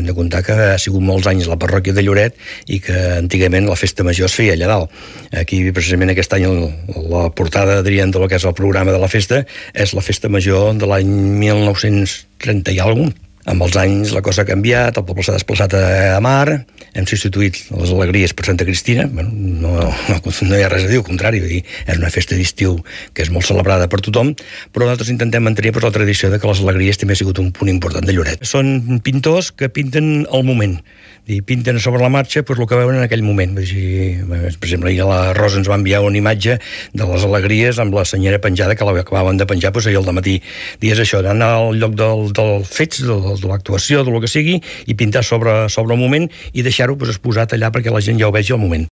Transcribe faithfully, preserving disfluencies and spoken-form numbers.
Hem de comptar que ha sigut molts anys la parròquia de Lloret i que antigament la festa major es feia allà dalt. Aquí, precisament aquest any, la portada, diríem, del que és el programa de la festa és la festa major de l'any mil nou-cents trenta i alguna cosa. Amb els anys la cosa ha canviat, el poble s'ha desplaçat a Mar, hem substituït les alegries per Santa Cristina. Bueno, no, no, no hi ha res a dir, al contrari, dir, és una festa d'estiu que és molt celebrada per tothom, però nosaltres intentem mantenir pues, la tradició de que les alegries també ha sigut un punt important de Lloret. Són pintors que pinten al moment, i pinten sobre la marxa pues, el que veuen en aquell moment. Dir, per exemple, ahir la Rosa ens va enviar una imatge de les alegries amb la senyera penjada, que l'acabaven de penjar pues, ahir al dematí. Dies això, d'anar al lloc dels del fets, del, de l'actuació, del que sigui, i pintar sobre, sobre el moment i deixar-ho pues, exposat allà perquè la gent ja ho vegi al moment.